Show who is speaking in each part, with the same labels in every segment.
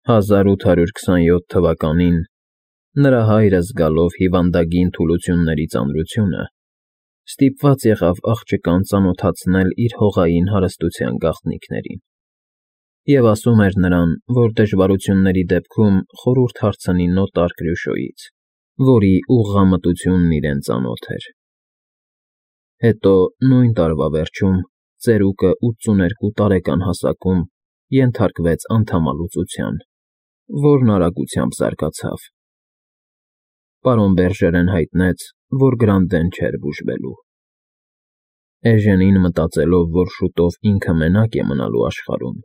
Speaker 1: 1827 թվականին նրա հայրը զգալով հիվանդագին թուլությունների ծանրությունը, ստիպված եղավ աղջկան ծանոթացնել իր հողային հարստության գաղտնիքներին և ասում էր նրան, որ դժվարությունների դեպքում խորհուրդ հարցնի նոտար Կրյուշոյից, որի ուղղամտությունն իրեն ծանոթ էր։ Հետո նույն տարվա վերջում ծերուկը 82 տարեկան հասակում ենթարկվեց անդամալուծության, որն արագությամբ զարգացավ։ Պարոն Բերժերեն հայտնեց, որ Գրանտեն չէր բուժվելու։ Էժենին, մտածելով, որ շուտով ինքը մենակ է մնալու աշխարհում,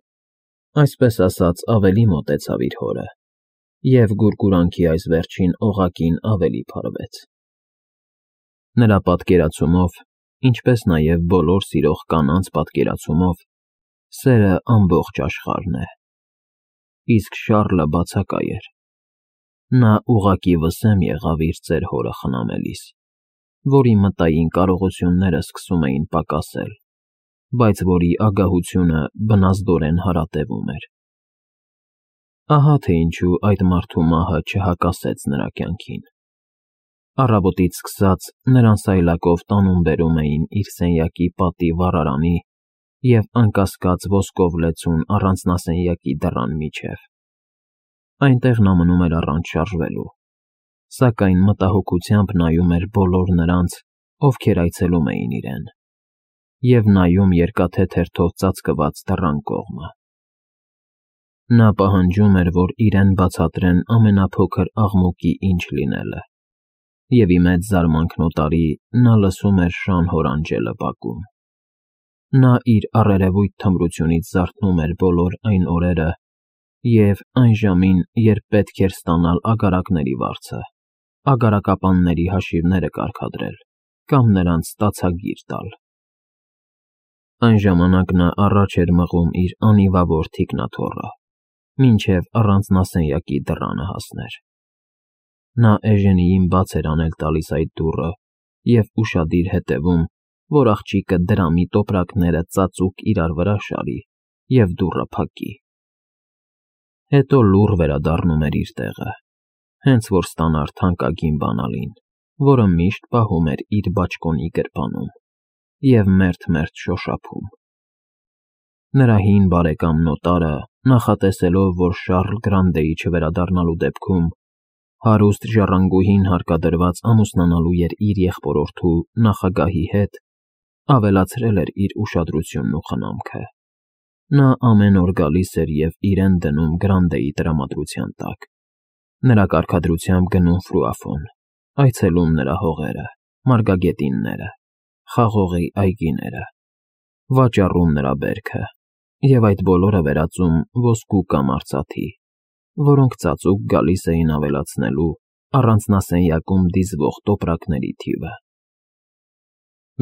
Speaker 1: այսպես ասած ավելի մոտեցավ իր հորը, և գուրգուրանքի այս վերջին օղակին ավելի փարվեց։ Նրա պատկերացումով, ինչպես նաև բոլոր սիրող կանանց պատկերացումով, սերը ամբողջ աշխարհն է, իսկ Շառլը բացակայ էր։ Նա ուղղակի վսեմ եղավ իր ծեր հորը խնամելիս, որի մտային կարողությունները սկսում էին պակասել, բայց որի ագահությունը բնազդորեն հարատևում էր։ Ահա թե ինչու այդ մարդու մահը չհակասեց նրա կյանքին։ Առավոտից սկսած նրան սայլակով տանում֊բերում էին իր սենյակի պատի վառարանի և անկասկած ոսկով լեցուն առանձնասենյակի դռան միջև։ Այնտեղ նա մնում էր առանց շարժվելու, սակայն մտահոգությամբ նայում էր բոլոր նրանց, ովքեր այցելում էին իրեն, և նայում երկաթե թերթով ծածկված դռան կողմը։ Նա պահանջում էր, որ իրեն բացատրեն ամենափոքր աղմուկի ինչ լինելը, և ի մեծ զարմանքն օտարի նա լսում էր շան հորանջելը բակում։ Նա իր առերևույթ թմրությունից զարթնում էր բոլոր այն օրերը և այն ժամին, երբ պետք էր ստանալ ագարակների վարձը, ագարակապանների հաշիվները կարգադրել կամ նրանց ստացագիր տալ։ Այն ժամանակ նա առաջ էր մղում իր անիվավոր թիկնաթոռը, մինչև առանձնասենյակի դռանը հասներ։ Նա Էժենիին բաց էր անել տալիս այդ դուռը և ուշադիր հետևում, որ աղջիկը դրամի տոպրակները ծածուկ իրար վրա շարի և դուռը փակի։ Հետո լուռ վերադառնում էր իր տեղը, հենց որ ստանար թանկագին բանալին, որը միշտ պահում էր իր բաճկոնի գրպանում, և մերթ-մերթ շոշափում։ Նրա հին բարեկամ նոտարը, նախատեսելով, որ Շառլ Գրանտեի չվերադառնալու դեպքում հարուստ ժառանգուհին հարկադրված ամուսնանալու էր իր եղբորորդու նախագահի հետ, ավելացրել էր իր ուշադրությունն ու խնամքը։ Նա ամեն օր գալիս էր և իրեն դնում Գրանտեի տրամադրության տակ, նրա կարգադրությամբ գնում Ֆրուաֆոն, այցելում նրա հողերը, մարգագետինները, խաղողի այգիները, վաճառում նրա բերքը և այդ բոլորը վերածում ոսկու կամ արծաթի, որոնք ծածուկ գալիս էին ավելացնելու առանձնասենյակում դիզվող տոպրակների թիվը։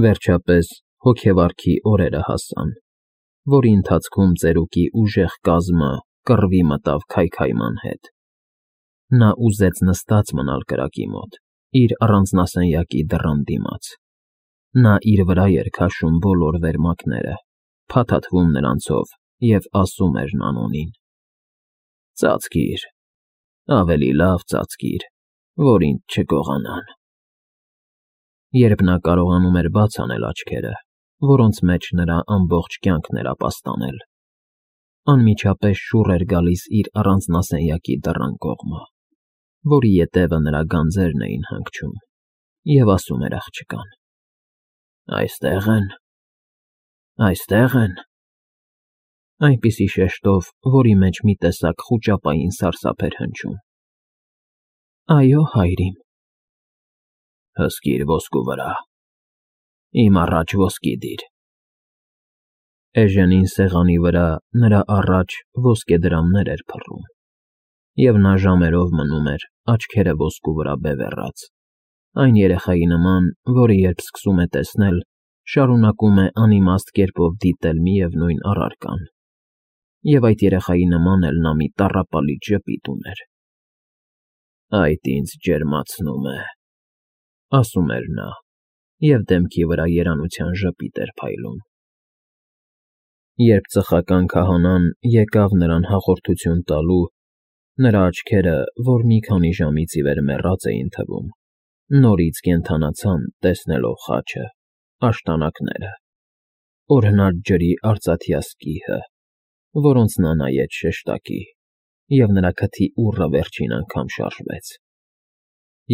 Speaker 1: Վերջապես հոգեվարքի օրերը հասան, որի ընթացքում ծերուկի ուժեղ կազմը կռվի մտավ քայքայման հետ։ Նա ուզեց նստած մնալ կրակի մոտ, իր առանձնասենյակի դռան դիմաց։ Նա իր վրա էր քաշում բոլոր վերմակները, փաթաթվում նրանցով և ասում էր Նանոնին. «Ծածկիր, ավելի լավ ծածկիր, որ ինձ չգողանան»։ Երբ նա կարողանում էր բաց անել աչքերը, որոնց մեջ նրա ամբողջ կյանքն էր ապաստանել, անմիջապես շուռ էր գալիս իր առանձնասենյակի դռան կողմը, որի ետևը նրա գանձերն էին հանգչում, և ասում էր աղջկան. «Այստե՞ղ են, այստե՞ղ են», այնպիսի շեշտով, որի մեջ մի տեսակ խուճապային սարսափ էր հնչում։ «Այո, հայրիկ»։ «Հսկիր ոսկու վրա, իմ առաջ ոսկի դիր»։ Էժենին սեղանի վրա նրա առաջ ոսկեդրամներ էր փռում, և նա ժամերով մնում էր, աչքերը ոսկու վրա բևեռած, այն երեխայի նման, որը երբ սկսում է տեսնել, շարունակում է անիմաստ կերպով դիտել միևնույն առարկան, և այդ երեխայի նման էլ նա մի տառապալից ժպիտ ուներ։ «Այդ ինձ ջերմացնում է», ասում էր նա, և դեմքի վրա երանության ժպիտ էր փայլում։ Երբ ծխական քահանան եկավ նրան հաղորդություն տալու, Նրա աչքերը, որ մի քանի ժամից ի վեր մեռած էին թվում, նորից կենդանացան, տեսնելով խաչը, աշտանակները, օրհնած ջրի արծաթյա սկիհը, որոնց նա նայեց շեշտակի, և նրա քթի ուռը վերջին անգամ շարժվեց։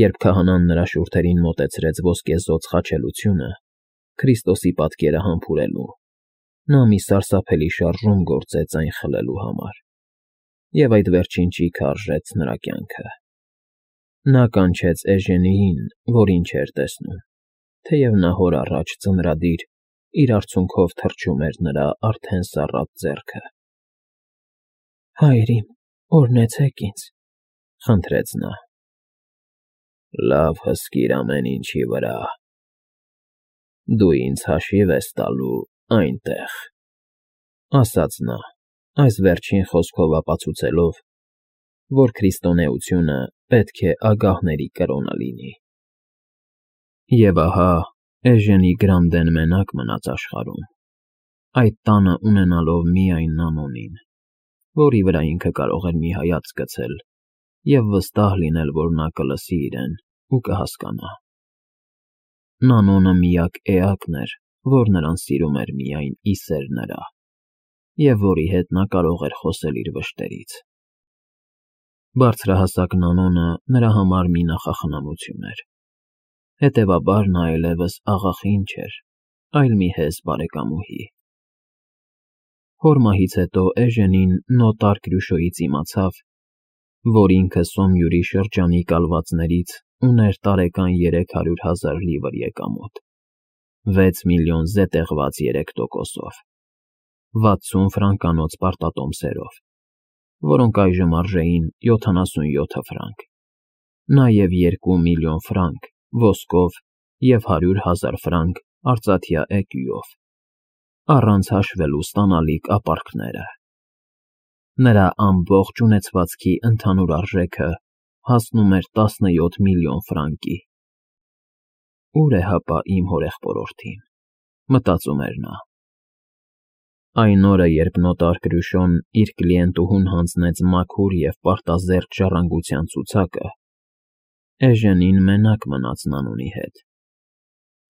Speaker 1: Երբ քահանան նրա շուրթերին մոտեցրեց ոսկեզօծ խաչելությունը, Քրիստոսի պատկերը համբուրելու, նա մի սարսափելի շարժում գործեց այն խլելու համար, և այդ վերջին ճիգը արժեց նրա կյանքը։ Նա կանչեց Էժենիին, որին չէր տեսնում, թեև նա հոր առաջ ձնրադիր իր արցունքով թռչում էր նրա արդեն սառած ձեռքը։ «Հայր իմ, օրհնեցեք ինձ», խնդրեց նա։ «Լավ հսկիր ամեն ինչի վրա, դու ինձ հաշիվ ես տալու այնտեղ», ասաց նա, այս վերջին խոսքով ապացուցելով, որ քրիստոնեությունը պետք է ագահների կրոնը լինի։ Եվ ահա Էժենի Գրանդեն մենակ մնաց աշխարհում, այդ տանը ունենալով միայն Նանոնին, որի վրա ինքը կարող էր մի հայացք գցել և վստահ լինել, որ նա կլսի իրեն ու կհասկանա։ Նանոնը միակ էակն էր, որ նրան սիրում էր միայն ի սեր նրա, և որի հետ նա կարող էր խոսել իր վշտերից։ Բարձրահասակ Նանոնը նրա համար մի նախախնամություն էր, հետևաբար նա այլևս աղախին չէր, այլ մի հեզ բարեկամուհի։ Հոր մահից հետո Էժենին նոտար Կրյուշոյից իմացավ, որ ինքը Սոմյուրի շրջանի կալվածներից ուներ տարեկան 300,000 լիվր եկամուտ, 6 միլիոն զետեղված 3%-ով, 60 ֆրանկանոց պարտատոմսերով, որոնք այժմ արժեին 77 ֆրանկ, նաև 2 միլիոն ֆրանկ ոսկով և 100,000 ֆրանկ արծաթյա էկյուով, առանց հաշվելու ստանալիք ապարքները։ Նրա ամբողջ ունեցվածքի ընդհանուր արժեքը հասնում էր 17 միլիոն ֆրանկի։ «Ուր է հապա իմ հորեղբորորդին», մտածում էր նա։ Այն օրը, երբ նոտար Կրյուշոն իր կլիենտուհուն հանձնեց մաքուր և պարտազերծ ժառանգության ցուցակը, Էժենին մենակ մնաց Նանոնի հետ։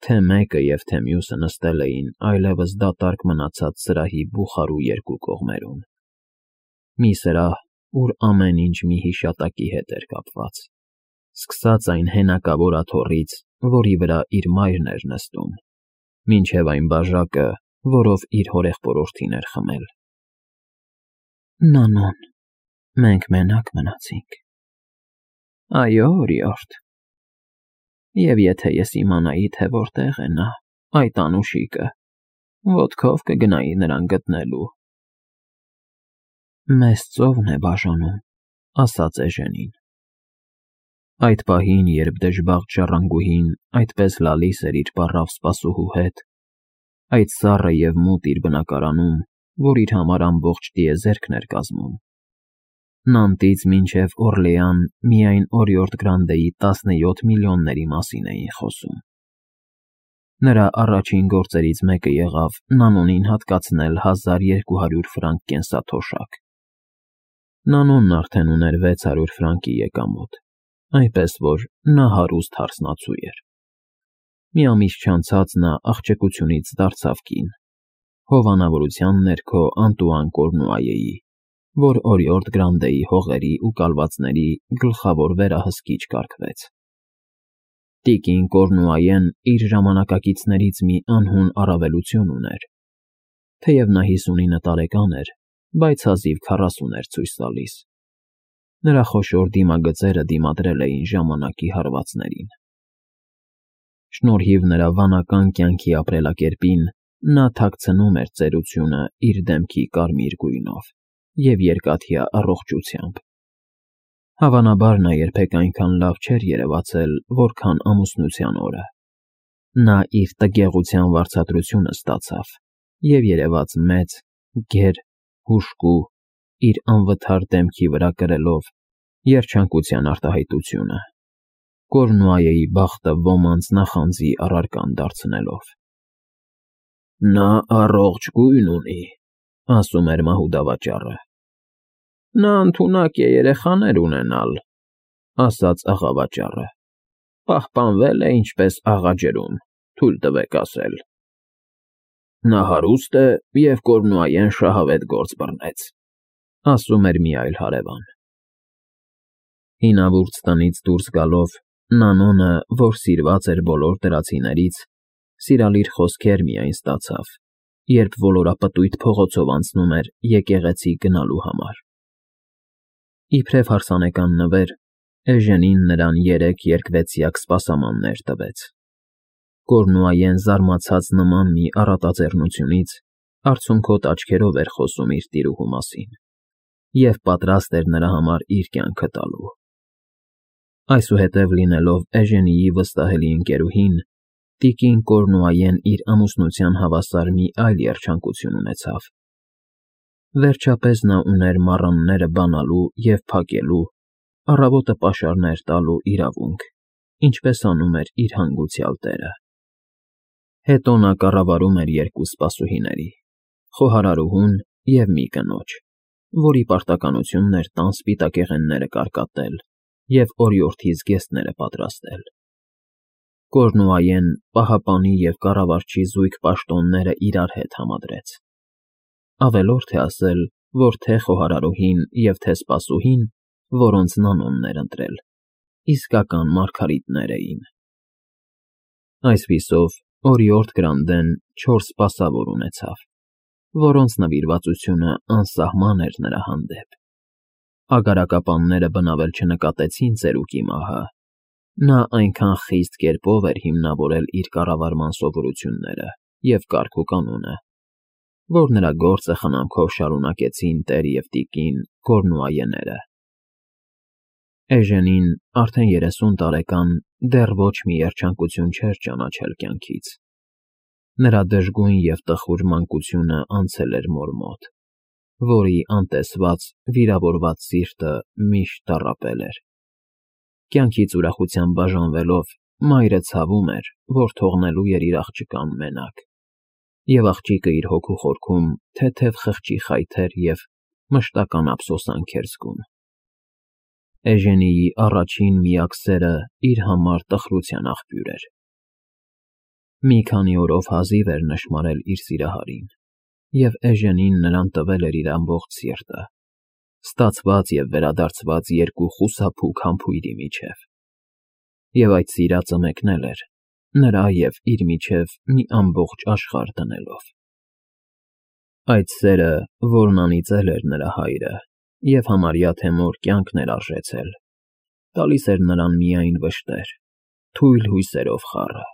Speaker 1: Թե մեկը և թե մյուսը նստել էին այլևս դատարկ մնացած սրահի բուխարու երկու կողմերում։ Մի սրահ, ուր ամեն ինչ մի հիշատակի հետ էր կապված, սկսած այն հենակավոր աթոռից, որի վրա իր մայրն էր նստում, մինչև այն բաժակը, որով իր հորեղբորորդին էր խմել։ «Նանոն, մենք մենակ մնացինք»։ «Այո, օրիորդ, և եթե ես իմանայի, թե որտեղ է նա, այդ անուշիկը, ոտքով կգնայի նրան գտնելու»։ «Մեզ ծովն է բաժանում», ասաց Էժենին։ Այդ պահին, երբ դժբախտ ժառանգուհին այդպես լալիս էր իր պառավ սպասուհու հետ, այդ սառը և մութ իր բնակարանում, որ իր համար ամբողջ տիեզերքն էր կազմում, Նանտից մինչև Օրլեան միայն օրիորդ Գրանդեի 17 միլիոնների մասին էին խոսում։ Նրա առաջին գործերից մեկը եղավ Նանոնին հատկացնել 1200 ֆրանկ կենսաթոշակ։ Նանոնն արդեն ուներ 600 ֆրանկի եկամուտ, այնպես որ նա հարուստ հարսնացու էր։ Մի ամիս չանցած նա աղջկությունից դարձավ կին, հովանավորության ներքո Անտուան Կորնուայեի, որ օրիորդ Գրանդեի հողերի ու կալվածների գլխավոր վերահսկիչ կարգվեց։ Տիկին Կորնուայեն իր ժամանակակիցներից մի անհուն առավելություն ուներ, թեև նա 59 տարեկան էր, բայց հազիվ 40 էր ցույց տալիս։ Նրա խոշոր դիմագծերը դիմադրել էին ժամանակի հարվածներին։ Շնորհիվ նրա վանական կյանքի ապրելակերպին, նա թաքցնում էր ծերությունը իր դեմքի կարմիր գույնով և երկաթյա առողջությամբ։ Հավանաբար նա երբեք այնքան լավ չէր երևացել, որքան ամուսնության օրը։ Նա իր տգեղության վարձատրությունը ստացավ և երևաց մեծ, գեր, հուժկու, իր անվթար դեմքի վրա կրելով երջանկության արտահայտությունը, Կորնուայեի բախտը ոմանց նախանձի առարկան դարձնելով։ «Նա առողջ գույն ունի», ասում էր մահուդավաճառը։ Նա ընդունակ է երեխաներ ունենալ, ասաց աղավաճառը, պահպանվել է ինչպես աղաջրում, թույլ տվեք ասել։ Նա հարուստ է և Կորնուայեն շահավետ գործ բռնեց, ասում էր մի այլ հարևան։ Հինավուրց տնից դուրս գալով Նանոնը, որ սիրված էր բոլոր դրացիներից, սիրալիր խոսքեր միայն ստացավ, երբ ոլորապտույտ փողոցով անցնում էր եկեղեցի գնալու համար։ Իբրև հարսանեկան նվեր, Էժենին նրան 3 երկվեցյակ սպասամաններ տվեց։ Կորնուայեն զարմացած նման մի առատաձեռնությունից արցունքոտ աչքերով էր խոսում իր տիրուհու մասին և պատրաստ էր նրա համար իր կյանքը տալու։ Այսուհետև լինելով Էժենիի վստահելի ընկերուհին, տիկին Կորնուայեն իր ամուսնության հավասար մի այլ երջանկություն ունեցավ։ Վերջապես նա ուներ մառանները բանալու և փակելու, առավոտը պաշարներ տալու իրավունք, ինչպես անում էր իր հանգուցյալ տերը։ Հետո նա կառավարում էր 2 սպասուհիների՝ խոհարարուհուն և մի կնոջ, որի պարտականությունն էր տան սպիտակեղենները կարկատել և օրիորդի զգեստները պատրաստել։ Կորնուայեն պահապանի և կառավարչի զույգ պաշտոնները իրար հետ համադրեց։ Ավելորդ է ասել, որ թե խոհարարուհին և թե սպասուհին, որոնց Նանոնն էր ընտրել, իսկական մարգարիտներ էին։ Այսպիսով, օրիորդ Գրանդեն 4 սպասավոր ունեցավ, որոնց նվիրվածությունը անսահման էր նրա հանդեպ։ Ագարակապանները բնավել չնկատեցին ծերուկի մահը, նա այնքան խիստ կերպով էր հիմնավորել իր կառավարման սովորությունները և կարգուկանոնը, որ նրա գործը խնամքով շարունակեցին տեր և տիկին Կորնուայեները։ Էժենին, արդեն 30 տարեկան, դեռ ոչ մի երջանկություն չէր ճանաչել կյանքից։ Նրա դժգույն և տխուր մանկությունը անցել էր մոր մոտ, որի անտեսված, վիրավորված սիրտը միշտ տառապել էր։ Կյանքից ուրախությամբ բաժանվելով, մայրը ցավում էր, որ թողնելու էր իր աղջկան մենակ, և աղջիկը իր հոգու խորքում թեթև խղճի խայթեր և մշտական ափսոսանք էր զգում։ Էժենիի առաջին միակ սերը իր համար տխրության աղբյուր էր։ Մի քանի օրով հազիվ էր նշմարել իր սիրահարին, և Էժենին նրան տվել էր իր ամբողջ սիրտը, ստացված և վերադարձված 2 խուսափուկ համբույրի միջև։ Եվ այդ սիրածը մեկնել էր, նրա և իր միջև մի ամբողջ աշխարհ դնելով։ Այդ սերը, որն անիծել էր նրա հայրը և համարյա թե մոր կյանքն էր արժեցել, տալիս էր նրան միայն վշտեր, թույլ հույսերով խառը։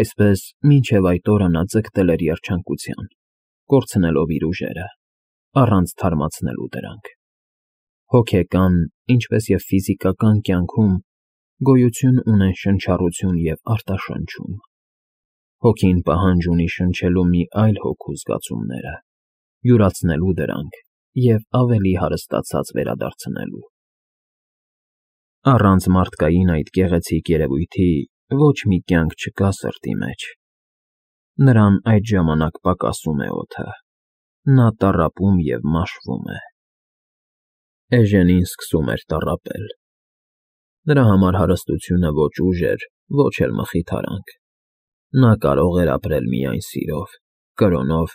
Speaker 1: Այսպես, մինչև այդ օրը նա ձգտել էր երջանկության, կորցնելով իր ուժերը, առանց թարմացնելու դրանք։ Հոգեկան, ինչպես և ֆիզիկական կյանքում գոյություն ունեն շնչառություն և արտաշնչում։ Հոգին պահանջ ունի շնչելու մի այլ հոգու զգացումները, յուրացնելու դրանք և ավելի հարստացած վերադարձնելու։ Առանց մարդկային այդ գեղեցիկ երևույթի ոչ մի կյանք չկա սրտի մեջ։ Նրան այդ ժամանակ պակասում է օդը, նա տառապում և մաշվում է։ Էժենին սկսում էր տառապել։ Նրա համար հարստությունը ոչ ուժ էր, ոչ էլ մխիթարանք։ Նա կարող էր ապրել միայն սիրով, կրոնով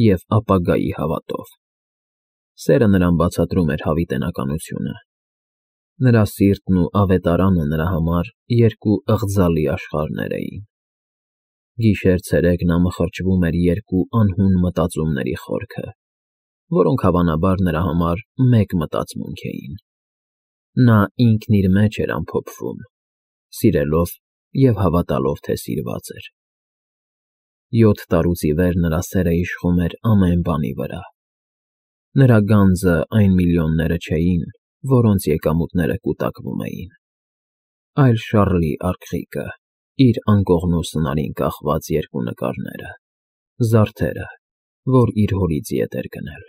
Speaker 1: և ապագայի հավատով։ Սերը նրան բացատրում էր հավիտենականությունը։ Նրա սիրտն ու ավետարանը նրա համար 2 ըղձալի աշխարհներ էին։ Գիշեր֊ցերեկ նա մխրճվում էր 2 անհուն մտածումների խորքը, որոնք հավանաբար նրա համար մեկ մտածմունք էին։ Նա ինքն իր մեջ էր ամփոփվում, սիրելով և հավատալով, թե սիրված էր։ 7 տարուց ի վեր նրա սերը իշխում էր ամեն բանի վրա։ Նրա գանձը այն միլիոնները չէին, որոնց եկամուտները կուտակվում էին, այլ Շառլի արկղիկը, իր անկողնու սնարին կախված 2 նկարները, զարդերը, որ իր հորից ետ էր գնել,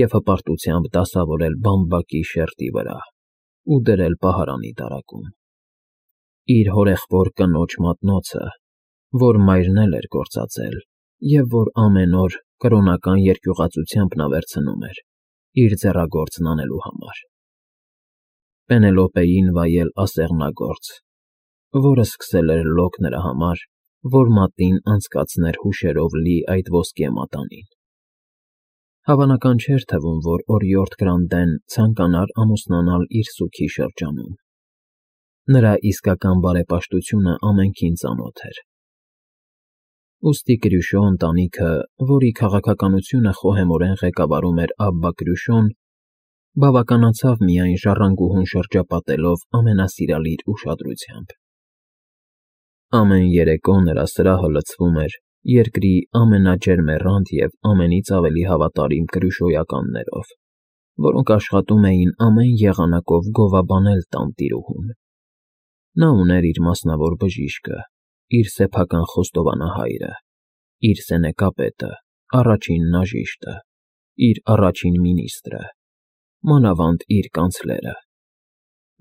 Speaker 1: և հպարտությամբ դասավորել բամբակի շերտի վրա ու դրել պահարանի տարակում։ Իր հորեղբոր կնոջ մատնոցը, որ մայրն էլ էր գործածել և որ ամեն օր կրոնական երկյուղածությամբ նա վերցնում էր, իր ձեռագործն անելու համար։ Պենելոպեին վայել ասեղնագործ, որը սկսել էր լոկ նրա համար, որ մատին անցկացներ հուշերով լի այդ ոսկե մատանին։ Հավանական չէր թվում, որ օրիորդ Գրանդեն ցանկանար ամուսնանալ իր սուգի շրջանում։ Նրա իսկական բարեպաշտությունը ամենքին ծանոթ էր։ Ուստի Կրյուշո ընտանիքը, որի քաղաքականությունը խոհեմորեն ղեկավարում էր Աբբա Կրյուշոն, բավականացավ միայն ժառանգուհուն շրջապատելով ամենասիրալիր ուշադրությամբ։ Ամեն երեկո նրա սրահը լցվում էր երկրի ամենաջերմեռանդ և ամենից ավելի հավատարիմ կրյուշոյականներով, որոնք աշխատում էին ամեն եղանակով գովաբանել տանտիրուհուն։ Նա ուներ իր մասնավոր բժիշկը, իր սեփական խոստովանահայրը, իր սենեկապետը, առաջին նաժիշտը, իր առաջին մինիստրը, մանավանդ իր կանցլերը,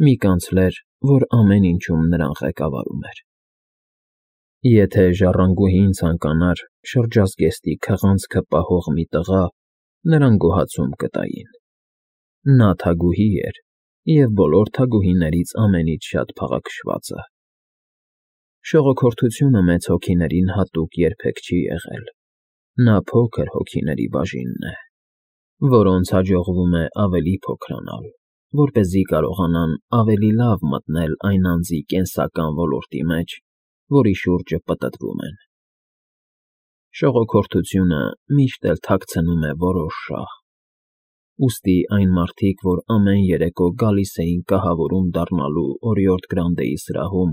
Speaker 1: մի կանցլեր, որ ամեն ինչում նրան ղեկավարում էր։ Եթե ժառանգուհին ցանկանար շրջազգեստի քղանցքը պահող մի տղա, նրան գոհացում կտային։ Նա թագուհի էր և բոլոր թագուհիներից ամենից շատ փաղաքշվածը։ Շողոքորթությունը մեծ հոգիներին հատուկ երբեք չի եղել։ Նա փոքր հոգիների բաժինն է, որոնց հաջողվում է ավելի փոքրանալ, որպեսզի կարողանան ավելի լավ մտնել այն անձի կենսական ոլորտի մեջ, որի շուրջը պտտվում են։ Շողոքորթությունը միշտ էլ թաքցնում է որոշ շահ։ Ուստի այն մարդիկ, որ ամեն երեկո գալիս էին կահավորում դառնալու օրիորդ Գրանդեի սրահում,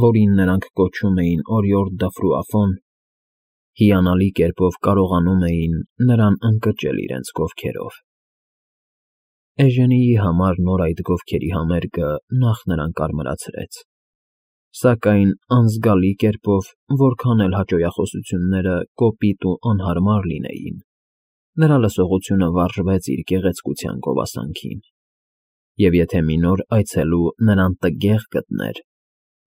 Speaker 1: որին նրանք կոչում էին օրիորդ դը Ֆրուաֆոն, հիանալի կերպով կարողանում էին նրան ընկճել իրենց գովքերով։ Էժենիի համար նոր այդ գովքերի համերգը նախ նրան կարմրացրեց, սակայն անզգալի կերպով, որքան էլ հաճոյախոսությունները կոպիտ ու անհարմար լինեին, նրա լսողությունը վարժվեց իր գեղեցկության գովասանքին, և եթե մի նոր այցելու նրան տգեղ գտներ,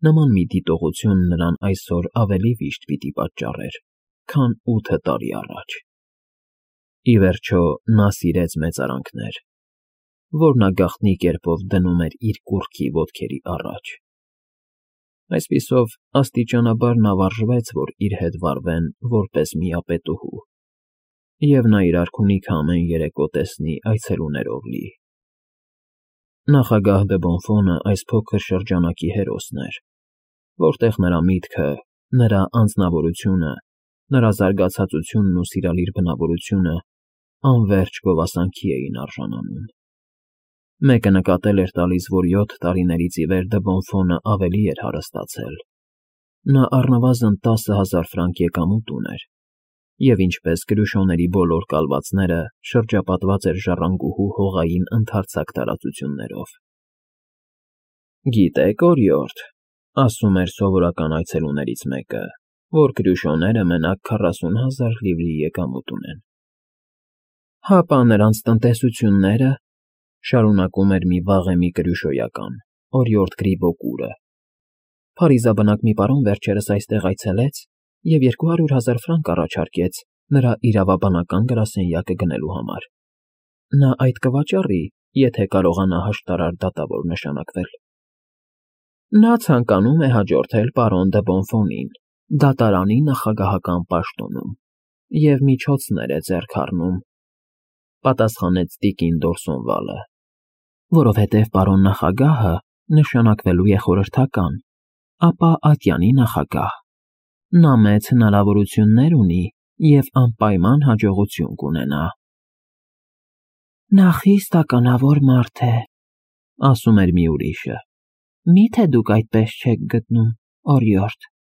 Speaker 1: նման մի դիտողություն նրան այսօր ավելի վիշտ պիտի պատճառեր, քան 8 տարի առաջ։ Ի վերջո նա սիրեց մեծարանքներ, որ նա գաղտնի կերպով դնում էր իր կուռքի ոտքերի առաջ։ Այսպիսով, աստիճանաբար նա վարժվեց, որ իր հետ վարվեն որպես միապետուհու, և նա իր արքունիքը ամեն երեկո տեսնի այցելուներով լի։ Նախագահ դը Բոնֆոնը այս փոքր շրջանակի հերոսն էր, որտեղ նրա միտքը, նրա անձնավորությունը, նրա զարգացածությունն ու սիրալիր բնավորությունը անվերջ գովասանքի էին արժանանում։ Մեկը նկատել էր տալիս, որ 7 տարիներից ի վեր դը Բոնֆոնը ավելի էր հարստացել։ Նա առնվազն 10,000 ֆրանկ եկամուտ ուներ, և ինչպես Կրյուշոների բոլոր կալվածները շրջապատված էր ժառանգուհու հողային ընդարձակ տարածություններով։ «Գիտեք, օրիորդ,֊ ասում էր սովորական այցելուներից մեկը,֊ որ Կրյուշոները մենակ 40,000 լիվրի եկամուտ ունեն»։ «Հապա նրանց տնտեսությունները,֊ շարունակում էր մի վաղեմի կրյուշոյական, օրիորդ Գրիբոկուրը,֊ փարիզաբնակ մի պարոն վերջերս այստեղ այցելեց և 200,000 ֆրանկ առաջարկեց նրա իրավաբանական գրասենյակը գնելու համար։ Նա այդ կվաճառի, եթե կարողանա հաշտարար դատավոր նշանակվել։ Նա ցանկանում է հաջորդել պարոն դը Բոնֆոնին դատարանի նախագահական պաշտոնում և միջոցներ է ձեռք առնում,֊ պատասխանեց տիկին Դորսոնվալը,֊ որովհետև պարոն նախագահը նշանակվելու է խորհրդական, ապա ատյանի նախագահ։ Նա մեծ հնարավորություններ ունի և անպայման հաջողություն կունենա»։ «Նա խիստ ականավոր մարդ է,֊ ասում էր մի ուրիշը,֊ մի՞թե դուք այդպես չեք գտնում, օրիորդ»։